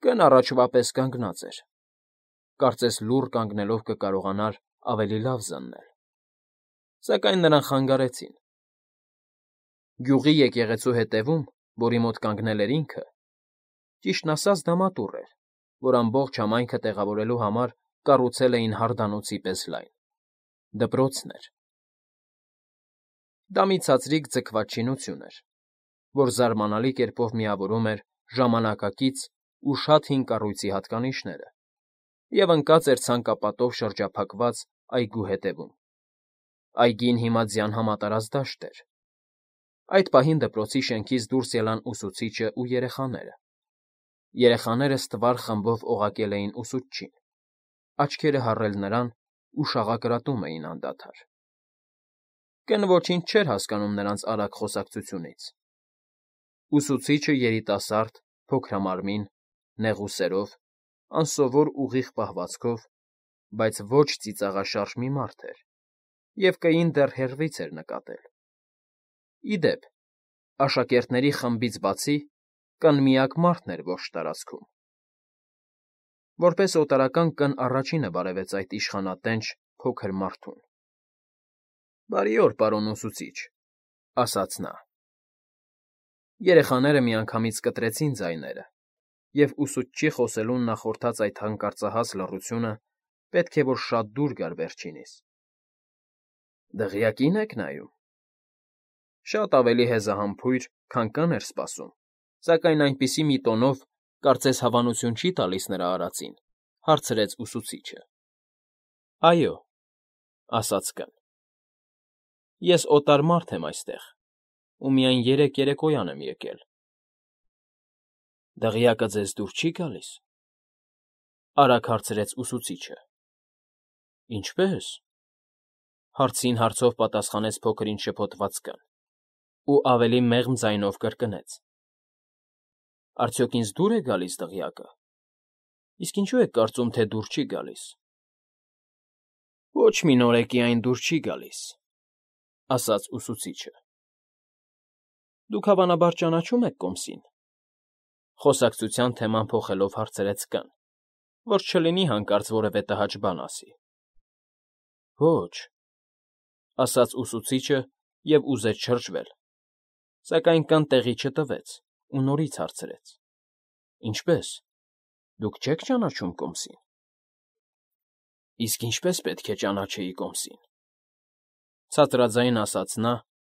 Կն առաջվա պես կանգնած էր, կարծես լուռ կանգնելով կկարողանար ավելի լավ զննել, սակայն նրան խանգարեցին. գյուղի եկեղեցու հետևում, որի մոտ կանգնել էր ինքը, ճիշտն ասած դա մատուռ էր, որ ամբողջ համայնքը տեղավորելու համար կառուցել էին հարդանոցի պես լայն, դպրոցն էր. դա մի ցածրիկ ձգված շինություն էր, որ զարմանալի կերպով միավորում էր ժամանակակից ու շատ հին կառույցի հատկանիշները և ընկած էր ցանկապատով շրջափակված այգու ետևում. այգին հիմա ձյան համատարած դաշտ էր. այդ պահին դպրոցի շենքից դուրս ելան ուսուցիչն ու երեխաները ստվար խմբով օղակել էին ուսուցչին, աչքերը հառել նրան ու շաղակրատում էին անդադար. Կն ոչինչ չէր հասկանում նրանց արագ խոսակցությունից. ուսուցիչը երիտասարդ, փոքրամարմին, նեղուսերով, անսովոր ուղիղ պահվածքով, բայց ոչ ծիծաղաշարժ մի մարդ էր և կին դեռ հեռվից էր նկատել. ի դեպ, աշակերտների խմբից բացի կն միակ մարդն էր ողջ տարածքում. որպես օտարական կն առաջինը բարևեց այդ իշխանատենչ փոքր մարդուն. բարի օր, պարոն ուսուցիչ, ասաց նա. երեխաները միանգամից կտրեցին ձայները, և ուսուցչի խոսելուն նախորդած այդ հանկարծահաս լռությունը պետք է որ շատ դուր գար վերջինիս. դղյակի՞ն եք նայում. շատ ավելի հեզահամբույր, քան կն էր սպասում, սակայն այնպիսի մի տոնով, կարծես հավանություն չի տալիս նրա արածին, հարցրեց ուսուցիչը. այո, ասաց կն. ես օտար մարդ եմ այստեղ ու միայն 3 երեկոյան եմ եկել. դղյակը ձեզ դուր չի գալիս, արագ հարցրեց ուսուցիչը. ինչպե՞ս, հարցին հարցով պատասխանեց փոքրինչ շփոթված կն ու ավելի մեղմ ձայնով կրկնեց. արդյոք ինձ դուր է գալիս դղյակը, իսկ ինչու եք կարծում, թե դուր չի գալիս. ոչ մի նորեկի այն դուր չի գալիս, ասաց ուսուցիչը. դուք հավանաբար ճանաչում եք կոմսին, խոսակցության թեման փոխելով հարցրեց կն, որ չլինի հանկարծ որևէ տհաճ բան ասի. ոչ, ասաց ուսուցիչը և ուզեց շրջվել, սակայն կն տեղի չտվեց ու նորից հարցրեց. ինչպե՞ս, դուք չեք ճանաչում կոմսին. իսկ ինչպես պետք է ճանաչեի կոմսին, ցածրաձայն ասաց նա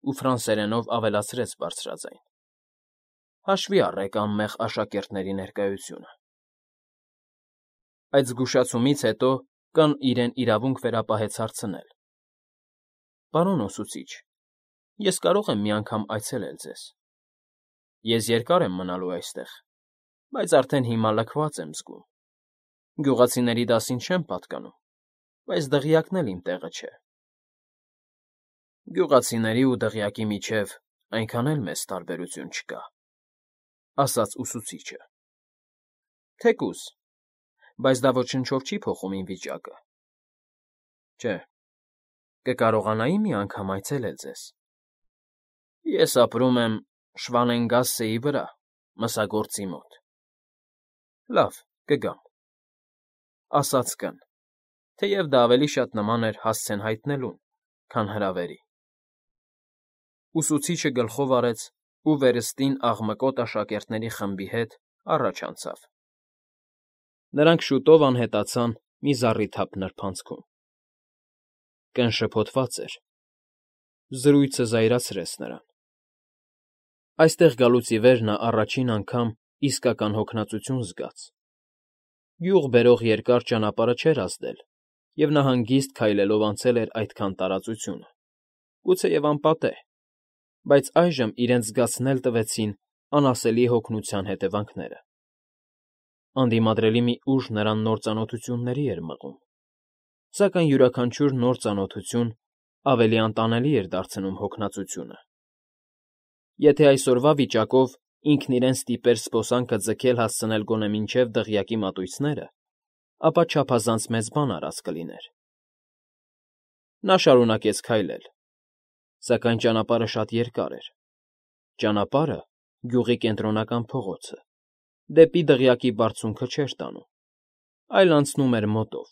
ու ֆրանսերենով ավելացրեց բարձրաձայն. հաշվի առեք անմեղ աշակերտների ներկայությունը. այդ զգուշացումից հետո կն իրեն իրավունք վերապահեց հարցնել. պարոն ուսուցիչ, ես կարող եմ մի անգամ այցելել ձեզ. ես երկար եմ մնալու այստեղ, բայց արդեն հիմա լքված եմ զգում. գյուղացիների դասին չեմ պատկանում, բայց դղյակն էլ իմ տեղը չէ. գյուղացիների ու դղյակի միջև այնքան էլ մեծ տարբերություն չկա, ասաց ուսուցիչը. թեկուզ, բայց դա ոչնչով չի փոխում իմ վիճակը. չէ, կկարողանայի մի անգամ այցելել ձեզ. ես ապրում եմ Շվանենգասսեի վրա, մսագործի մոտ. լավ, կգամ, ասաց կն, թեև դա ավելի շատ նման էր հասցեն հայտնելուն, քան հրավերի. ուսուցիչը գլխով արեց ու վերստին աղմկոտ աշակերտների խմբի հետ առաջ անցավ. նրանք շուտով անհետացան մի զառիթափ նրբանցքում. կն շփոթված էր. զրույցը զայրացրեց նրան. այստեղ գալուց ի վեր նա առաջին անգամ իսկական հոգնածություն զգաց. գյուղ բերող երկար ճանապարհը չէր ազդել, և նա հանգիստ քայլելով անցել էր այդքան տարածությունը, գուցեև անպատեհ, բայց այժմ իրենց զգացնել տվեցին անասելի հոգնության հետևանքները. անդիմադրելի մի ուժ նրան նոր ծանոթությունների էր մղում, սակայն յուրաքանչյուր նոր ծանոթություն ավելի անտանելի էր դարձնում հոգնածությունը. եթե այսօրվա վիճակով ինքն իրեն ստիպեր զբոսանքը ձգել հասցնել գոնե մինչև դղյակի մատույցները, ապա չափազանց մեծ բան արած կլիներ. նա շարունակեց քայլել, սակայն ճանապարհը շատ երկար էր, ճանապարհը, գյուղի կենտրոնական փողոցը, դեպի դղյակի բարձունքը չէր տանում, այլ անցնում էր մոտով,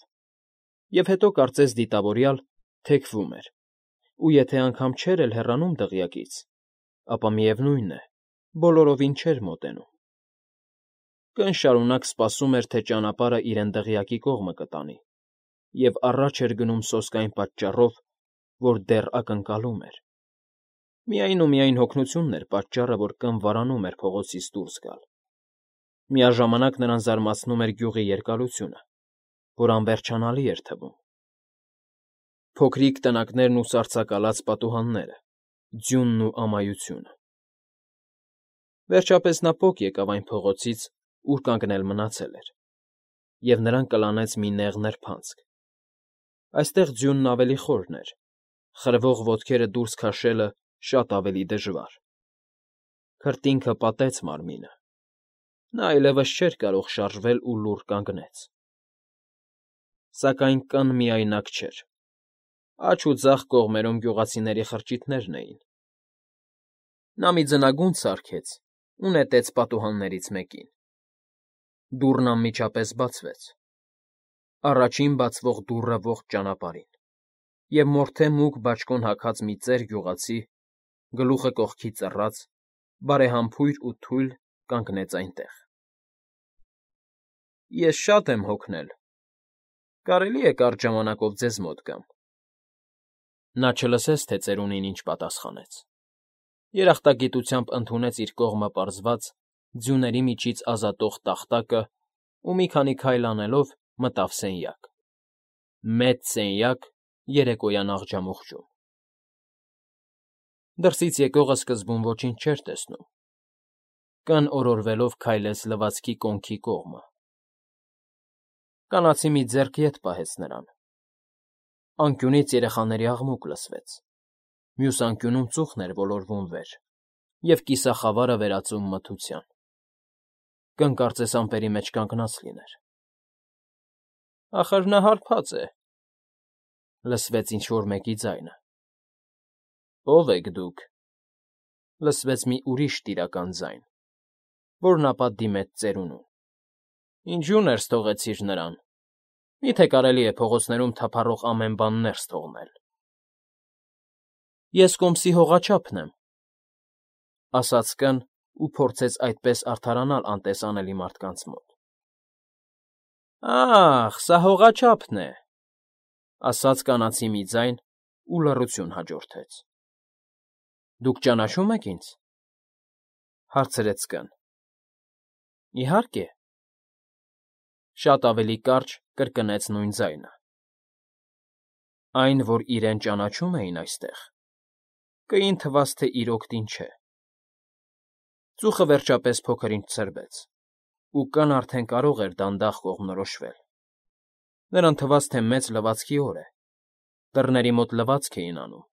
և հետո կարծես դիտավորյալ թեքվում էր, ու եթե անգամ չէր էլ հեռանում դղյակից, ապա միևնույն է, բոլորովին չէր մոտենում։ Կն շարունակ սպասում էր, թե ճանապարհը իրեն դղյակի կողմը կտանի, և առաջ էր գնում սոսկ այն պատճառով, որ դեռ ակնկալում էր։ Միայն ու միայն հոգնությունն էր պատճառը, որ կն վարանում էր փողոցից դուրս գալ։ Միաժամանակ նրան զարմացնում էր գյուղի երկարությունը, որ անվերջանալի էր թվում։ Փոքրիկ տնակներն ու սառցակալած պատուհանները, ձյունն ու ամայությունը։ Վերջապես նա պոկ եկավ այն փողոցից, ուր կանգնել մնացել էր, և նրան կլանեց մի նեղ նրբանցք։ Այստեղ ձյունն ավելի խորն էր, խրվող ոտքերը դուրս քաշելը շատ ավելի դժվար։ Քրտինքը պատեց մարմինը։ Նա այլևս չէր կարող շարժվել ու լուռ կանգնեց։ Սակայն կն միայնակ չէր։ Աջ ու ձախ կողմերում գյուղացիների խրճիթներն էին։ Նա մի ձնագունդ սարքեց ու նետեց պատուհաններից մեկին։ Դուռն անմիջապես բացվեց։ Առաջին բացվող դուռը ողջ ճանապարհին, և մորթե մուգ բաճկոն հագած մի ծեր գյուղացի, գլուխը կողքի ծռած, բարեհամբույր ու թույլ կանգնեց այնտեղ։ Ես շատ եմ հոգնել, կարելի՞ է կարճ ժամանակով ձեզ մոտ գամ։ Նա չլսեց, թե ծերունին ինչ պատասխանեց։ Երախտագիտությամբ ընդունեց իր կողմը պարզված, ձյուների միջից ազատող տախտակը ու մի քանի քայլ անելով մտավ սենյակ։ Մեծ սենյակ երեկոյան աղջամուղջում։ Դրսից եկողը սկզբում ոչինչ չէր տեսնում։ Կն օրորվելով քայլեց լվացքի կոնքի կողմը։ Կանացի մի ձեռք ետ պահեց նրան։ Անկյունից երեխաների աղմուկ լսվեց։ Մյուս անկյունում ծուխն էր ոլորվում վեր, և կիսախավարը վերածում մթության։ Կն կարծես ամպերի մեջ կանգնած լիներ։ Ախր նա հարբած է,֊ լսվեց ինչ֊որ մեկի ձայնը։ Ո՞վ եք դուք,֊ լսվեց մի ուրիշ տիրական ձայն, որն ապա դիմեց ծերունուն։ Ինչու ներս թողեցիր նրան։ Մի՞թե կարելի է փողոցներում թափառող ամեն բան ներս թողնել։ Ես կոմսի հողաչափն եմ,֊ ասաց կն ու փորձեց այդպես արդարանալ անտեսանելի մարդկանց մոտ։ Ա՜խ, սա հողաչափն է,֊ ասաց կանացի մի ձայն, ու լռություն հաջորդեց։ Դուք ճանաչո՞ւմ եք ինձ,֊ հարցրեց կն։ Իհարկե,֊ շատ ավելի կարճ կրկնեց նույն ձայնը։ Այն, որ իրեն ճանաչում էին այստեղ, կին թվաց, թե իր օգտին չէ։ Ծուխը վերջապես փոքր֊ինչ ցրվեց, ու կն արդեն կարող էր դանդաղ կողմնորոշվել։ Նրան թվաց, թե մեծ լվացքի օր է։ Դռների մոտ լվացք էին անում։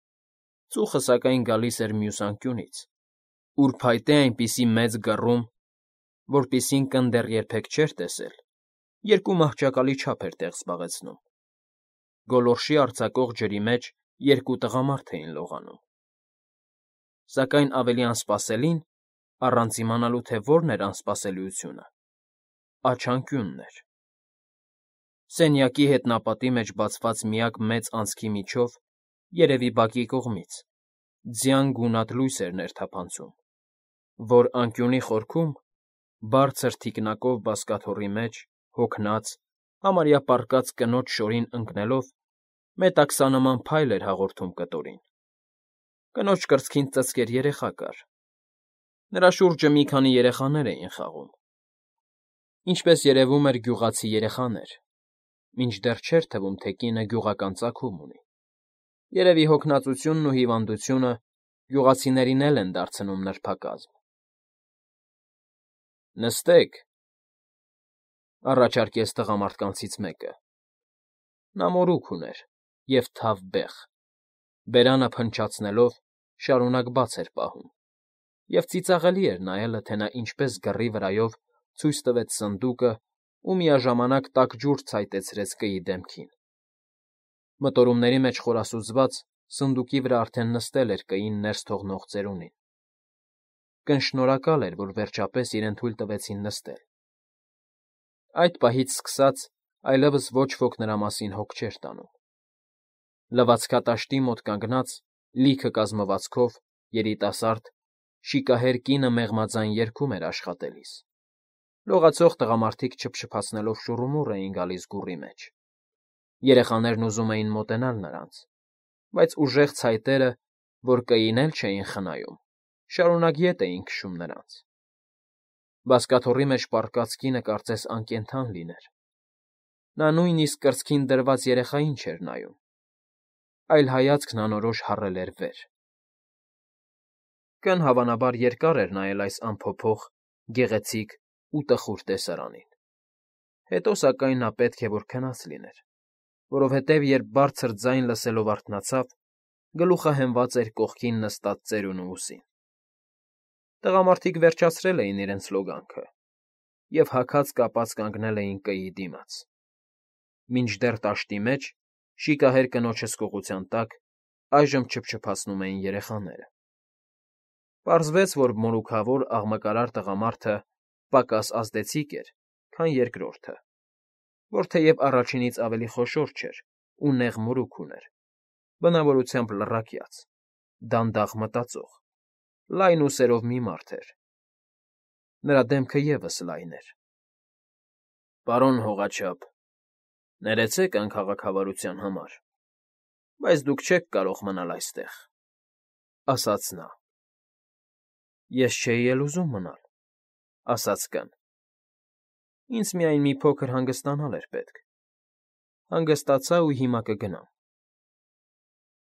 Ծուխը, սակայն, գալիս էր մյուս անկյունից, ուր փայտե այնպիսի մեծ գռում, որպիսին կն դեռ երբեք չէր տեսել, երկու մահճակալի չափ էր տեղ զբաղեցնում։ Գոլորշի արձակող ջրի մեջ երկու տղամարդ էին լողանում։ Սակայն ավելի անսպասելին, առանց իմանալու, թե որն էր անսպասելիությունը, աջ անկյունն էր։ Սենյակի հետնապատի մեջ բացված միակ մեծ անցքի միջով, երևի բակի կողմից, ձյան գունատ լույս էր ներթափանցում, որ անկյունի խորքում, բարձր թիկնակով բազկաթոռի մեջ, հոգնած, համարյա պառկած կնոջ շորին ընկնելով, մետաքսանման փայլ էր հաղորդում կտորին։ Կնոջ կրծքին ծծկեր երեխա կար։ Նրա շուրջը մի քանի երեխաներ էին խաղում։ Ինչպես երևում էր, գյուղացի երեխաներ, մինչդեռ չէր թվում, թե կինը գյուղական ծագում ունի։ Երևի հոգնածությունն ու հիվանդությունը գյուղացիներին էլ են դարձնում նրբակազմ։ Նստեք,֊ առաջարկեց տղամարդկանցից մեկը։ Նա մորուք ուներ և թավ բեղ, բերանը փնչացնելով շարունակ բաց էր պահում, և ծիծաղելի էր նայելը, թե նա ինչպես գռի վրայով ցույց տվեց սնդուկը ու միաժամանակ տաք ջուր ցայտեցրեց կî դեմքին։ Մտորումների մեջ խորասուզված, սնդուկի վրա արդեն նստել էր կին ներս թողնող ծերունին։ Կն շնորհակալ էր, որ վերջապես իրեն թույլ տվեցին նստել։ Այդ պահից սկսած այլևս ոչ ոք նրա մասին հոգ չէր տանում։ Լվացքատաշտի մոտ կանգնած, լիքը կազմվածքով, երիտասարդ, շիկահեր կինը մեղմաձայն երգում էր աշխատելիս։ Լողացող տղամարդիկ չփչփացնելով շուռումուռ էին գալիս գուռի մեջ։ Երեխաներն ուզում էին մոտենալ նրանց, բայց ուժեղ ցայտերը, որ կային էլ չէին խնայում, շարունակ ետ էին քշում նրանց։ Բազկաթոռի մեջ պառկած կինը կարծես անկենդան լիներ։ Նա նույնիսկ կրծքին դրված երեխային չէր նայում, այլ հայացքն անորոշ հառել էր վեր։ Կն հավանաբար երկար էր նայել այս անփոփոխ, գեղեցիկ ու տխուր տեսարանին։ Հետո, սակայն, նա պետք է որ քնած լիներ, որովհետև երբ բարձր ձայն լսելով արթնացավ, գլուխը հենված էր կողքին նստած ծերունու ուսին։ Տղամարդիկ վերջացրել էին իրենց լոգանքը և հագած կապած կանգնել էին կîի դիմաց, մինչդեռ տաշտի մեջ, շիկահեր կնոջ հսկողության տակ, այժմ չփչփացնում էին երեխաները։ Պարզվեց, որ մորուքավոր, աղմկարար տղամարդը պակաս ազդեցիկ էր, քան երկրորդը, որ թեև առաջինից ավելի խոշոր չէր ու նեղ մորուք ուներ, բնավորությամբ լռակյաց, դանդաղ մտածող, լայն ուսերով մի մարդ էր։ Նրա դեմքը ևս լայն էր։ Պարոն հողաչափ, ներեցեք անքաղաքավարության համար, բայց դուք չեք կարող մնալ այստեղ, ֊ ասաց նա։ Ես չէի էլ ուզում մնալ, ֊ ասաց կն։ Ինձ միայն մի փոքր հանգստանալ էր պետք։ Հանգստացա ու հիմա կգնամ։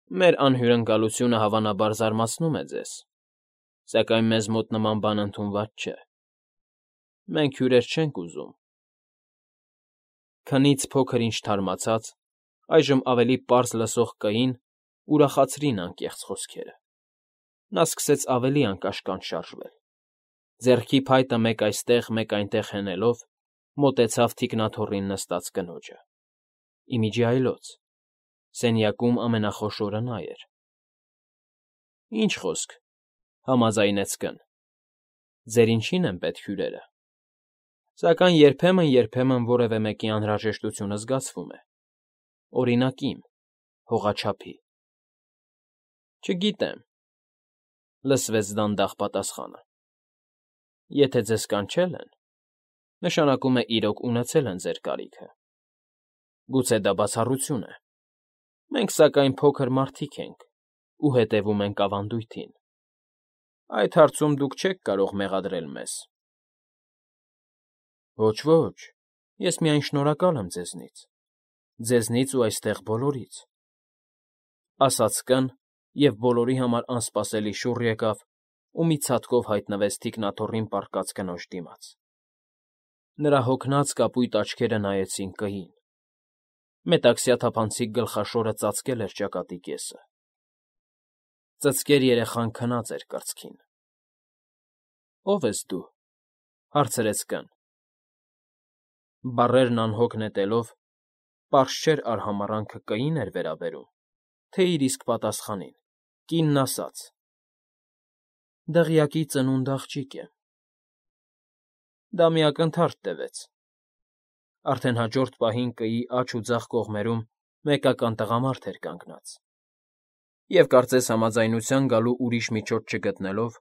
Մեր անհյուրընկալությունը հավանաբար զարմացնում է ձեզ, սակայն մեզ մոտ նման բան ընդունված չէ։ Մենք հյուրեր չենք ուզում։ Քնից փոքր-ինչ թարմացած, այժմ ավելի պարզ լսող կին ուրախացրին անկեղծ խոսքերը։ Նա սկսեց ավելի անկաշկանդ շարժվել։ Ձեռքի փայտը մեկ այստեղ, մեկ այնտեղ հենելով, մոտեցավ թիկնաթոռին նստած կնոջը։ Ի միջի այլոց սենյակում ամենախոշորը նա էր։ Ինչ խոսք, ֊ համաձայնեց կն։ Ձեր ինչին են պետք հյուրերը։ Սակայն երբեմն որևէ մեկի անհրաժեշտությունը զգացվում է։ Օրինակ իմ, հողաչափի։ Չգիտեմ, ֊ լսվեց դանդաղ պատասխանը։ Եթե ձեզ կանչել են, նշանակում է իրոք ունեցել են ձեր կարիքը։ Գուցե դա բացառություն է։ Մենք, սակայն, փոքր մարդիկ ենք ու հետևում ենք ավանդույթին։ Այդ հարցում դուք չեք կարող մեղադրել մեզ։ Ոչ, ես միայն շնորհակալ եմ ձեզնից ու այստեղ բոլորից, ֊ ասաց կն և բոլորի համար անսպասելի շուռ եկավ ու մի ցատկով հայտնվեց թիկնաթոռին պառկած կնոջ դիմաց։ Նրա հոգնած կապույտ աչքերը նայեցին կգին։ Մետաքսյա թափանցիկ գլխաշորը ծածկել էր ճակատի կեսը։ Ծծկեր երեխան քնած էր կրծքին։ Ո՞վ ես դու, ֊ հարցրեց կն։ Բառերն անհոգ նետելով, պարզ չէր արհամառանքը կին էր վերաբերում, թե իր իսկ պատասխանին։ Կինն ասաց. Դղյակի ծնունդ աղջիկ եմ։ Դա մի ակնթարթ տևեց։ Արդեն հաջորդ պահին կîի աջ ու ձախ կողմերում մեկական տղամարդ էր կանգնած, և, կարծես համաձայնության գալու ուրիշ միջոց չգտնելով,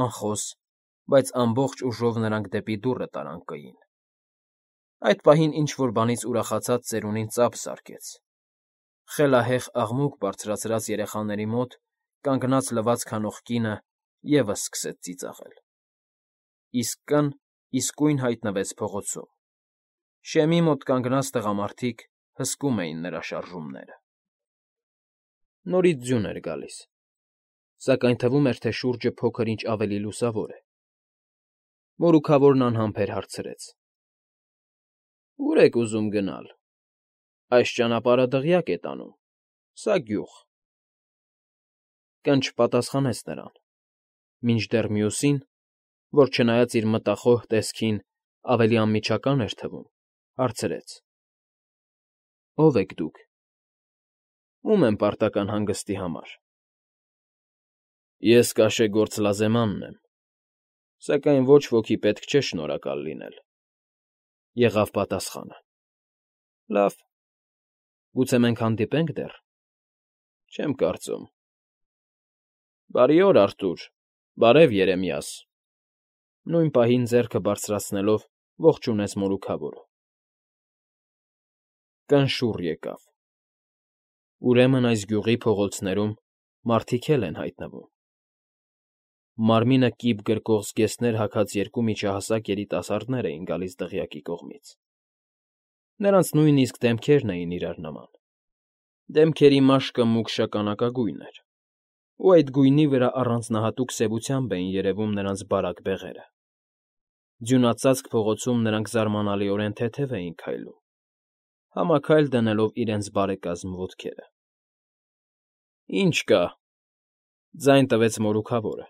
անխոս, բայց ամբողջ ուժով նրանք դեպի դուռը տարան կîին։ Այդ պահին ինչ֊որ բանից ուրախացած ծերունին ծափ զարկեց։ Խելահեղ աղմուկ բարձրացրած երեխաների մոտ կանգնած լվացք հանող կինը ևս սկսեց ծիծաղել։ Իսկ կն իսկույն հայտնվեց փողոցում։ Շեմի մոտ կանգնած տղամարդիկ հսկում էին նրա շարժումները։ Նորից ձյուն էր գալիս, սակայն թվում էր, թե շուրջը փոքր֊ինչ ավելի լուսավոր է։ Մորուքավորն անհամբեր հարցրեց. Ո՞ւր եք ուզում գնալ։ Այս ճանապարհը դղյակ է տանում, սա՝ գյուղ։ Կն չպատասխանեց նրան, մինչդեռ մյուսին, որ չնայած իր մտախոհ տեսքին ավելի անմիջական էր թվում, հարցրեց. Ո՞վ եք դուք։ Ո՞ւմ եմ պարտական հանգստի համար։ Ես Կաշեգործ Լազեմանն եմ, Սակայն ոչ ոքի պետք չէ շնորհակալ լինել,֊ եղավ պատասխանը։ Լավ, գուցե մենք հանդիպե՞նք դեռ։ Չեմ կարծում։ Բարի օր, Արտուր, բարև, Երեմիաս,֊ նույն պահին ձեռքը բարձրացնելով ողջունեց մորուքավորը։ Կնշուռ եկավ։ Ուրեմն այս գյուղի փողոցներում մարդիկ էլ են հայտնվում։ Մարմինը կիպ գրկող զգեստներ հագած երկու միջահասակ երիտասարդներ էին գալիս դղյակի կողմից։ Նրանց նույնիսկ դեմքերն էին իրար նման։ Դեմքերի մաշկը մուգ շագանակագույն էր, ու այդ գույնի վրա առանձնահատուկ սևությամբ էին երևում նրանց բարակ բեղերը։ Ձյունածածկ փողոցում նրանք զարմանալիորեն թեթև էին քայլում, համաքայլ դնելով իրենց բարեկազմ ոտքերը։ Ինչ կա,֊ ձայն տվեց մորուքավորը։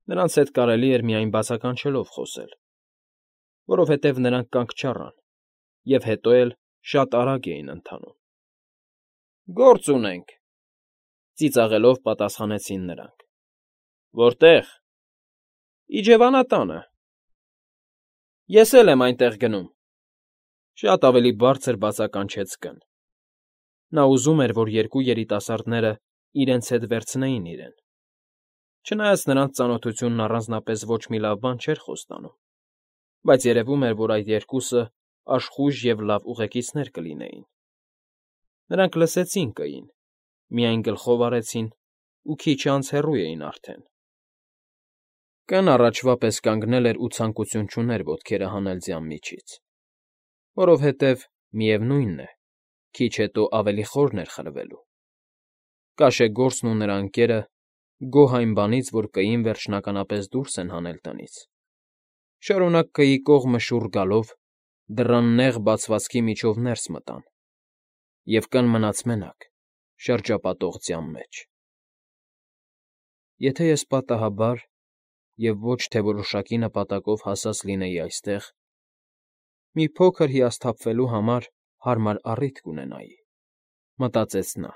Նրանց հետ կարելի էր միայն բացականչելով խոսել, որովհետև նրանք կանգ չառան և հետո էլ շատ արագ էին ընթանում։ Գործ ունենք,֊ ծիծաղելով պատասխանեցին նրանք։ Որտե՞ղ։ Իջևանատանը։ Ես էլ եմ այնտեղ գնում,֊ շատ ավելի բարձր բացականչեց Կ֊ն։ Նա ուզում էր, որ երկու երիտասարդները իրենց հետ վերցնեին իրեն։ Չնայած նրանց ծանոթությունն առանձնապես ոչ մի լավ բան չէր խոստանում, բայց երևում էր, որ այդ երկուսը աշխույժ և լավ ուղեկիցներ կլինեին։ Նրանք լսեցին Կ֊ին, միայն գլխով արեցին ու քիչ անց հեռու էին արդեն։ Կ֊ն առաջվա պես կանգնել էր ու ցանկություն չուներ ոտքերը հանել ձյան միջից, որովհետև, միևնույն է, քիչ հետո ավելի խորն էր խրվելու։ Կաշեգործն ու նրա ընկերը գոհ այն բանից, որ Կ֊ին վերջնականապես դուրս են հանել տնից, շարունակ Կ֊ի կողմը շուռ գալով, դռան նեղ բացվածքի միջով ներս մտան, և Կ֊ն մնաց մենակ, շրջապատող ձյան մեջ։ Եթե ես պատահաբար և ոչ թե որոշակի նպատակով հասած լինեի այստեղ, մի փոքր հիասթափվելու համար հարմար առիթ կունենայի,֊ մտածեց նա։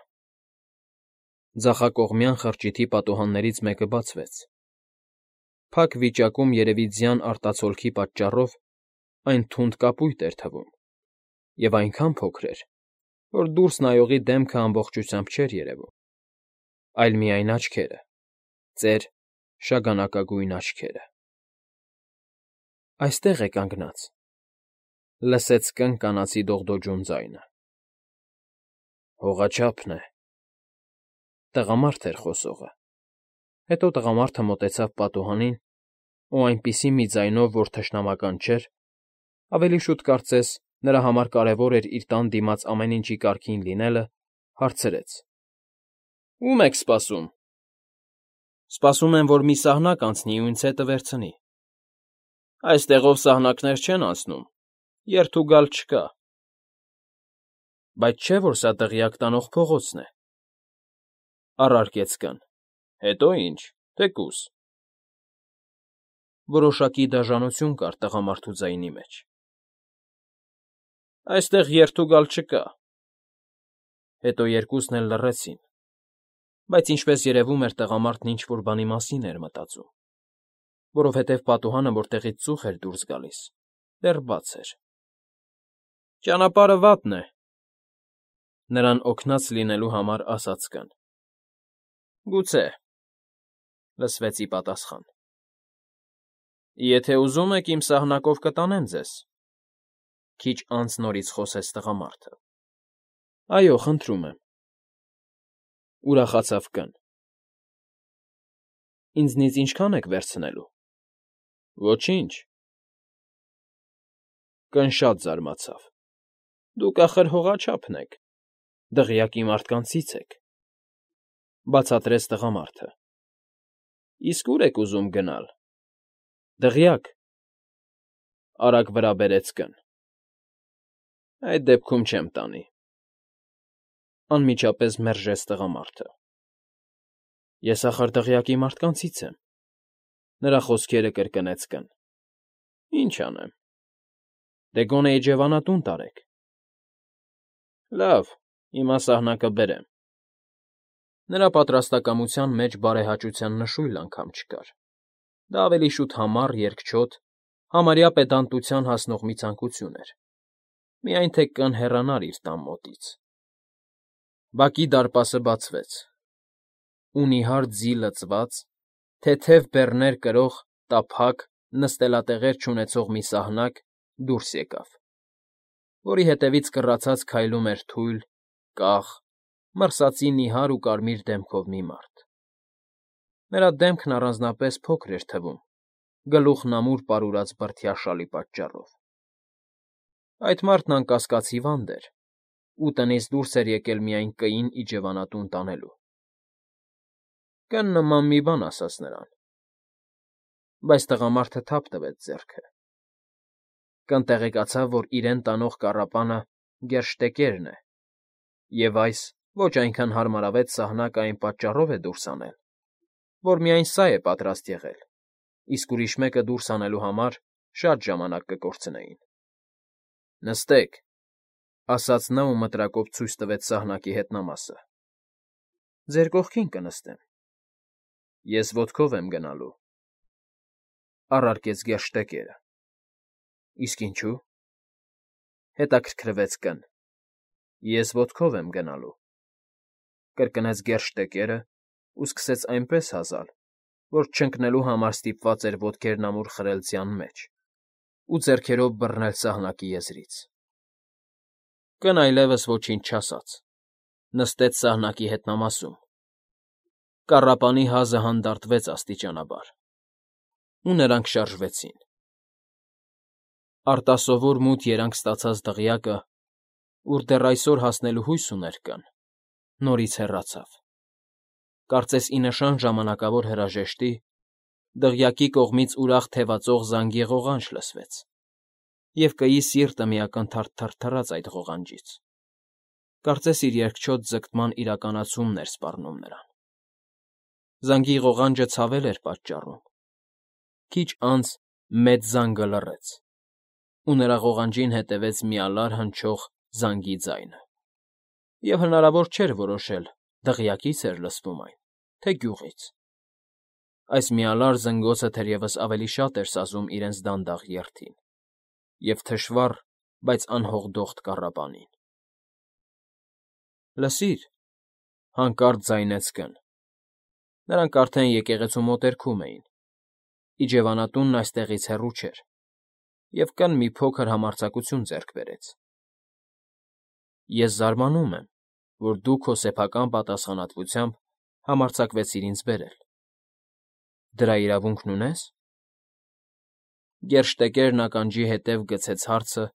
Ձախակողմյան խրճիթի պատուհաններից մեկը բացվեց։ Փակ վիճակում երևի ձյան արտացոլքի պատճառով այն թունդ կապույտ էր թվում և այնքան փոքր էր, որ դուրս նայողի դեմքը ամբողջությամբ չէր երևում, այլ միայն աչքերը, ծեր, շագանակագույն աչքերը։ Այստեղ է կանգնած,֊ լսեց Կ֊ն կանացի դողդոջուն ձայնը։ Հողաչափն է,֊ տղամարդ էր խոսողը։ Հետո տղամարդը մոտեցավ պատուհանին ու այնպիսի մի ձայնով, որ թշնամական չէր, ավելի շուտ կարծես նրա համար կարևոր էր իր տան դիմաց ամեն ինչի կարգին լինելը, հարցրեց. Ո՞ւմ եք սպասում։ Սպասում եմ, որ մի սահնակ անցնի ու ինձ հետը վերցնի։ Այստեղով սահնակներ չեն անցնում, երթ ու գալ չկա։ Բայց չէ՞ որ սա դղյակ տանող փողոցն է,֊ առարկեց Կ֊ն։ Հետո ինչ, թեկուզ։ Որոշակի դաժանություն կար տղամարդու ձայնի մեջ։ Այստեղ երթ ու գալ չկա։ Հետո երկուսն էլ լռեցին, բայց ինչպես երևում էր, տղամարդն ինչ֊որ բանի մասին էր մտածում, որովհետև պատուհանը, որտեղից ծուխ էր դուրս գալիս, դեռ բաց էր։ Ճանապարհը վատն է,֊ նրան օգնած լինելու համար ասաց Կ֊ն։ Գուցե,֊ լսվեց ի պատասխան։ Եթե ուզում եք, իմ սահնակով կտանեմ ձեզ,֊ քիչ անց նորից խոսեց տղամարդը։ Այո, խնդրում եմ,֊ ուրախացավ Կ֊ն։ Ինձնից ինչքա՞ն եք վերցնելու։ Ոչինչ։ Կ֊ն շատ զարմացավ։ Դուք, ախր, հողաչափն եք, դղյակի մարդկանցից եք,֊ բացատրեց տղամարդը։ Իսկ ո՞ւր եք ուզում գնալ։ Դղյակ,֊ արագ վրա բերեց Կ֊ն։ Այդ դեպքում չեմ տանի,֊ անմիջապես մերժեց տղամարդը։ Ես, ախր, դղյակի մարդկանցից եմ,֊ նրա խոսքերը կրկնեց Կ֊ն։ Ինչ անեմ։ Դե գոնե էջևանատուն տարեք։ Լավ, հիմա սահնակը բերեմ։ Նրա պատրաստակամության մեջ բարեհաճության նշույլ անգամ չկար։ Դա ավելի շուտ համառ, երկչոտ, համարյա պետանտության հասնող մի ցանկություն էր, միայն թե կն հեռանար իր տան մոտից։ Բակի դարպասը բացվեց, ու նիհար ձի լցված, թեթև բեռներ կրող, տափակ, նստելատեղեր չունեցող մի սահնակ դուրս եկավ, որի հետևից կռացած քայլում էր թույլ, կախ, մրսածի նիհար ու կարմիր դեմքով մի մարդ։ Նրա դեմքն առանձնապես փոքր էր թվում, գլուխն ամուր պարուրած բրդյա շալի պատճառով։ Այդ մարդն անկասկած հիվանդ էր, ու տնից դուրս էր եկել միայն կին իջևանատուն տանելու։ Կն նման մի բան ասաց նրան, բայց տղամարդը թափ տվեց ձեռքը։ Կն տեղեկացավ, որ իրեն տանող կառապանը գերշտեկերն է, և այս ոչ այնքան հարմարավետ սահնակը այն պատճառով է դուրս անել, որ միայն սա է պատրաստ եղել, իսկ ուրիշ մեկը դուրս անելու համար շատ ժամանակ կկորցնեին։ ֊ Նստեք, ֊ ասաց նա ու մտրակով ցույց տվեց սահնակի հետնամասը։ ֊ Ձեր կողքին կնստեմ։ ֊ Ես ոտքով եմ գնալու, ֊ առարկեց գերշտեկերը։ ֊ Իսկ ինչու՞։ ֊ հետաքրքրվեց կն։ ֊ Ես ոտքով եմ գնալու, ֊ կրկնեց գերշտեկերը ու սկսեց այնպես հազալ, որ չընկնելու համար ստիպված էր ոտքերն ամուր խրել ձյան մեջ ու ձեռքերով բռնել սահնակի եզրից։ Կն այլևս ոչինչ չասաց, նստեց սահնակի հետնամասում։ Կառապանի հազը հանդարտվեց աստիճանաբար, ու նրանք շարժվեցին։ Արտասովոր մութ երանգ ստացած դղյակը, ուր դեռ այսօր հասնելու հույս ուներ կն, նորից հեռացավ։ Կարծես ի նշան ժամանակավոր հրաժեշտի, դղյակի կողմից ուրախ թևածող զանգի ղողանջ լսվեց, և կգի սիրտը մի ակնթարթ թրթռաց այդ ղողանջից։ Կարծես իր երկչոտ ձգտման իրականացումն էր սպառնում նրան։ Զանգի ղողանջը ցավել էր պատճառում։ Քիչ անց մեծ զանգը լռեց, ու նրա ղողանջին հետևեց մի ալար հնչող զանգի ձայնը, և հնարավոր չէր որոշել դղյակի՞ց էր լսվում այն, թե գյուղից։ Այս միալար զնգոցը թերևս ավելի շատ էր սազում իրենց դանդաղ երթին և թշվառ, բայց անհողդոխտ կառապանին։ ֊ Լսիր,֊ հանկարծ ձայնեց կն։ Նրանք արդեն եկեղեցու մոտերքում էին։ Իջևանատունն այստեղից հեռու չէր, և կն մի փոքր համարձակություն ձեռք բերեց։ ֊ Ես զարմանում եմ, որ դու քո սեփական պատասխանատվությամբ համարձակվեցիր ինձ բերել։ Դրա իրավունքն ունե՞ս։ Գերշտեկերն ականջի հետև գցեց հարցը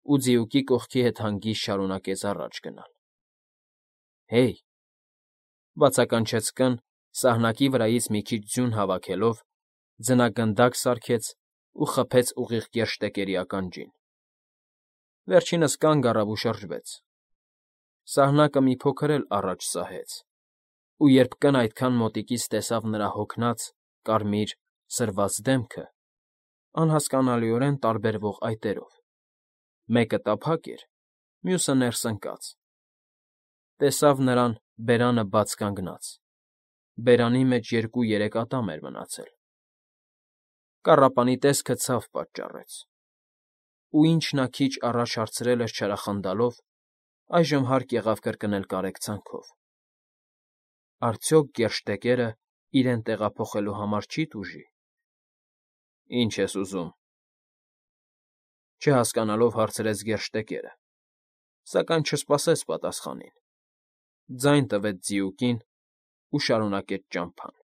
ու ձիուկի կողքի հետ հանգիստ շարունակեց առաջ գնալ։ ֊ Հեյ,֊ բացականչեց կն, սահնակի վրայից մի քիչ ձյուն հավաքելով, ձնագնդակ սարքեց ու խփեց ուղիղ գերշտեկերի ականջին։ Վերջինս կանգ առավ ու շրջվեց։ Սահնակը մի փոքր էլ առաջ սահեց, ու երբ կն այդքան մոտիկից տեսավ նրա հոգնած, կարմիր, սրված դեմքը, անհասկանալիորեն տարբերվող այտերով, մեկը տափակ էր, մյուսը ներս ընկած, տեսավ նրան բերանը բաց կանգնած, բերանի մեջ 2-3 ատամ էր մնացել։ Կառապանի տեսքը ցավ պատճառեց, ու ինչ նա քիչ առաջ հարցրել էր չարախնդալով, այժմ հարկ եղավ կրկնել կարեկցանքով։ Արդյոք գերշտեկերը իրեն տեղափոխելու համար չի՞ տուժի։ ֊ Ի՞նչ ես ուզում,֊ չհասկանալով հարցրեց գերշտեկերը, սակայն չսպասեց պատասխանին։ Ձայն տվեց ձիուկին ու շարունակեց ճամփան։